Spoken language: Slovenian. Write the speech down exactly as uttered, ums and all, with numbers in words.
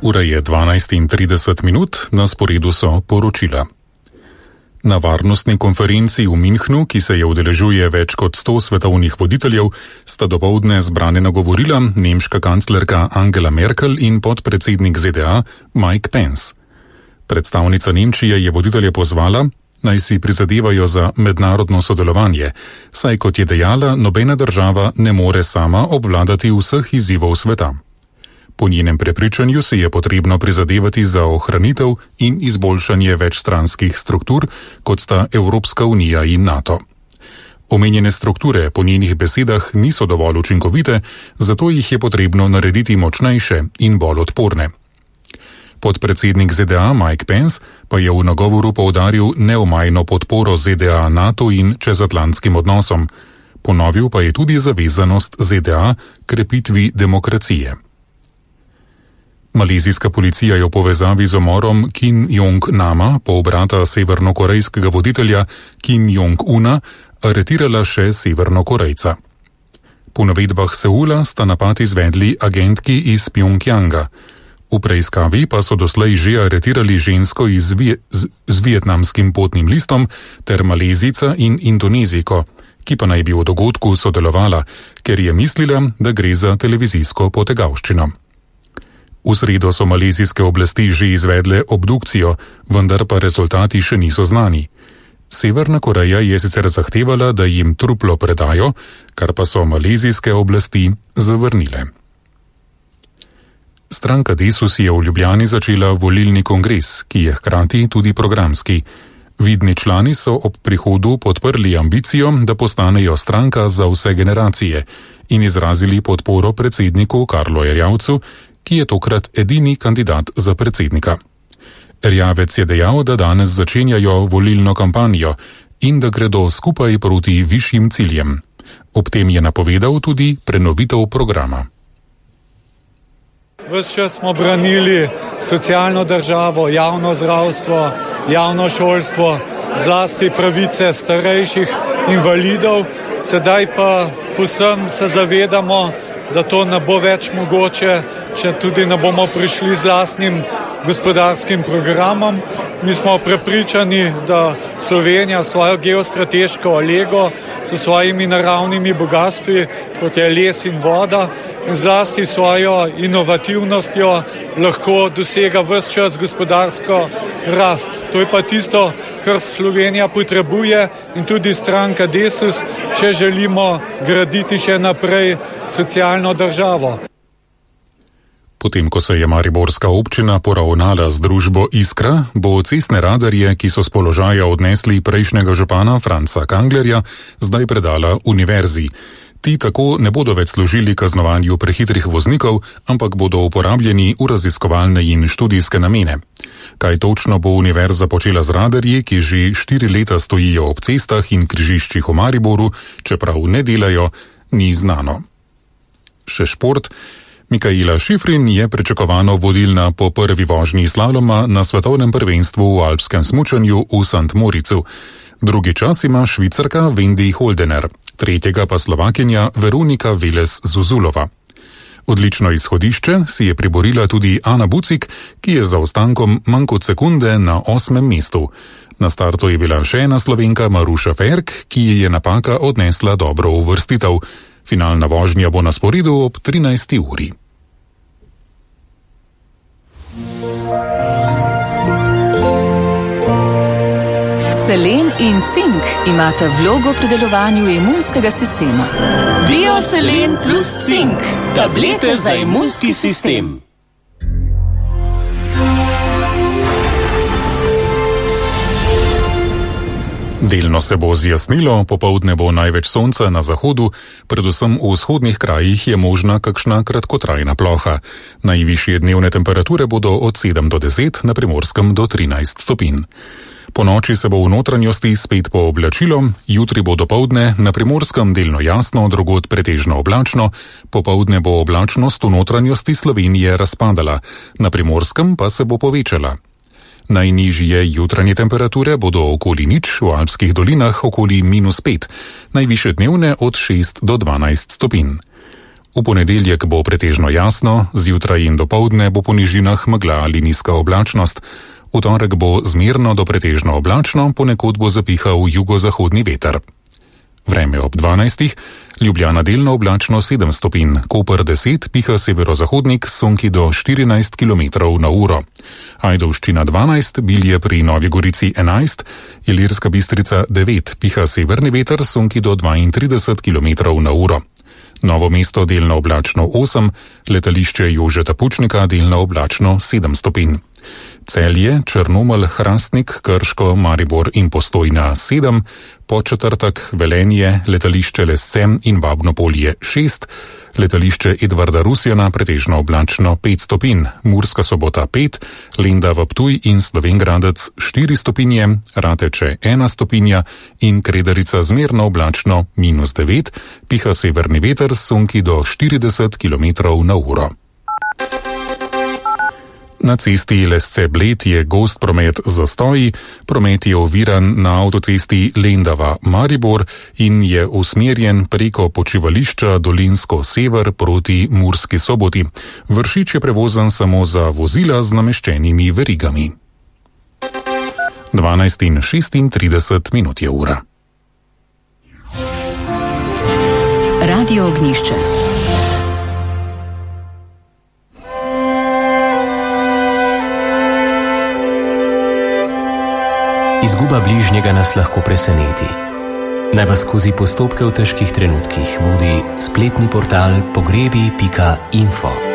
Ura je dvanajst in trideset minut, na sporedu so poročila. Na varnostni konferenci v Münchnu, ki se je udeležuje več kot sto svetovnih voditeljev, sta dopoldne zbrane nagovorila nemška kanclerka Angela Merkel in podpredsednik Z D A Mike Pence. Predstavnica Nemčije je voditelje pozvala, naj si prizadevajo za mednarodno sodelovanje, saj kot je dejala, nobena država ne more sama obvladati vseh izzivov sveta. Po njenem prepričanju se je potrebno prizadevati za ohranitev in izboljšanje večstranskih struktur, kot sta Evropska unija in NATO. Omenjene strukture po njenih besedah niso dovolj učinkovite, zato jih je potrebno narediti močnejše in bolj odporne. Podpredsednik Z D A Mike Pence pa je v nagovoru poudaril neomajno podporo Z D A NATO in čezatlantskim odnosom. Ponovil pa je tudi zavezanost Z D A krepitvi demokracije. Malezijska policija je v povezavi z umorom Kim Jong-nama, polbrata severnokorejskega voditelja Kim Jong-una, aretirala še severnokorejca. Po navedbah Seula sta napad izvedli agentki iz Pjongjanga. V preiskavi pa so doslej že aretirali žensko iz Vje- z, z vietnamskim potnim listom ter Malezijca in Indonezijko, ki pa naj bi v dogodku sodelovala, ker je mislila, da gre za televizijsko potegavščino. V sredo so malezijske oblasti že izvedle obdukcijo, vendar pa rezultati še niso znani. Severna Koreja je sicer zahtevala, da jim truplo predajo, kar pa so malezijske oblasti zavrnile. Stranka Desus je v Ljubljani začela volilni kongres, ki je hkrati tudi programski. Vidni člani so ob prihodu podprli ambicijo, da postanejo stranka za vse generacije in izrazili podporo predsedniku Karlu Erjavcu, ki je tokrat edini kandidat za predsednika. Erjavec je dejal, da danes začenjajo volilno kampanjo in da gredo skupaj proti višjim ciljem. Ob tem je napovedal tudi prenovitev programa. Ves čas smo branili socialno državo, javno zdravstvo, javno šolstvo, zlasti pravice starejših invalidov. Sedaj pa povsem se zavedamo, da to ne bo več mogoče, če tudi ne bomo prišli z lastnim gospodarskim programom. Mi smo prepričani, da Slovenija svojo geostrateško lego s svojimi naravnimi bogatstvi, kot je les in voda, in zlasti svojo inovativnostjo lahko dosega ves čas gospodarsko rast. To je pa tisto, kar Slovenija potrebuje in tudi stranka Desus, če želimo graditi še naprej socialno državo. Potem, ko se je mariborska občina poravnala z družbo Iskra, bo cestne radarje, ki so s položaja odnesli prejšnjega župana Franca Kanglerja, zdaj predala univerzi. Ti tako ne bodo več služili kaznovanju prehitrih voznikov, ampak bodo uporabljeni v raziskovalne in študijske namene. Kaj točno bo univerza počela z radarji, ki že štiri leta stojijo ob cestah in križiščih v Mariboru, čeprav ne delajo, ni znano. Še šport. Mikaela Šifrin je pričakovano vodilna po prvi vožnji slaloma na svetovnem prvenstvu v alpskem smučanju v Sant Moricu. Drugi čas ima Švicarka Wendy Holdener, tretjega pa Slovakinja Veronika Velez-Zuzulova. Odlično izhodišče si je priborila tudi Ana Bucik, ki je za ostankom manj kot sekunde na osmem mestu. Na startu je bila še ena Slovenka Maruša Ferk, ki ji je napaka odnesla dobro uvrstitev. Finalna vožnja bo na sporedu ob trinajsti uri. Selen in cink imata vlogo pri delovanju imunskega sistema. Bioselen plus cink, tablete za imunski sistem. Delno se bo zjasnilo, popoldne bo največ sonca na zahodu, predvsem v vzhodnih krajih je možna kakšna kratkotrajna ploha. Najvišje dnevne temperature bodo od sedem do deset, na Primorskem do trinajst stopinj. Po noči se bo v notranjosti spet pooblačilo, jutri bo dopoldne na Primorskem delno jasno, drugod pretežno oblačno, popoldne bo oblačnost v notranjosti Slovenije razpadala, na Primorskem pa se bo povečala. Najnižje jutranje temperature bodo okoli nič, v alpskih dolinah okoli minus pet, najvišje dnevne od šest do dvanajst stopinj. V ponedeljek bo pretežno jasno, zjutraj in dopoldne bo po nižinah megla ali nizka oblačnost. V torek bo zmerno do pretežno oblačno, ponekod bo zapihal jugozahodni veter. Vreme ob dvanajstih, Ljubljana delno oblačno sedem stopinj, Koper deset, piha severozahodnik, sonki do štirinajst kilometrov na uro. Ajdovščina dvanajst, Bilje pri Novi Gorici enajst, Ilirska Bistrica devet, piha severni veter, sonki do dvaintrideset kilometrov na uro. Novo mesto delno oblačno osem, letališče Jožeta Pučnika delno oblačno sedem stopinj. Celje, Črnomelj, Hrastnik, Krško, Maribor in Postojna sedem, Podčetrtek, Velenje, letališče Lescem in Babno-Polje šest, letališče Edvarda Rusjana pretežno oblačno pet stopinj, Murska Sobota pet, Lendava Ptuj in Slovenj Gradec štiri stopinje, Rateče ena stopinja in Kredarica zmerno oblačno minus devet, piha severni veter, sonki do štirideset kilometrov na uro. Na cesti Lesce-Bled je gost promet zastoji, promet je oviran na avtocesti Lendava-Maribor in je usmerjen preko počivališča Dolinsko-Sever proti Murski Soboti. Vršič je prevozen samo za vozila z nameščenimi verigami. dvanajst in šestintrideset minut je ura. Radio Ognjišče. Izguba bližnjega nas lahko preseneti. Naj vas skozi postopke v težkih trenutkih vodi spletni portal pogrebi pika info.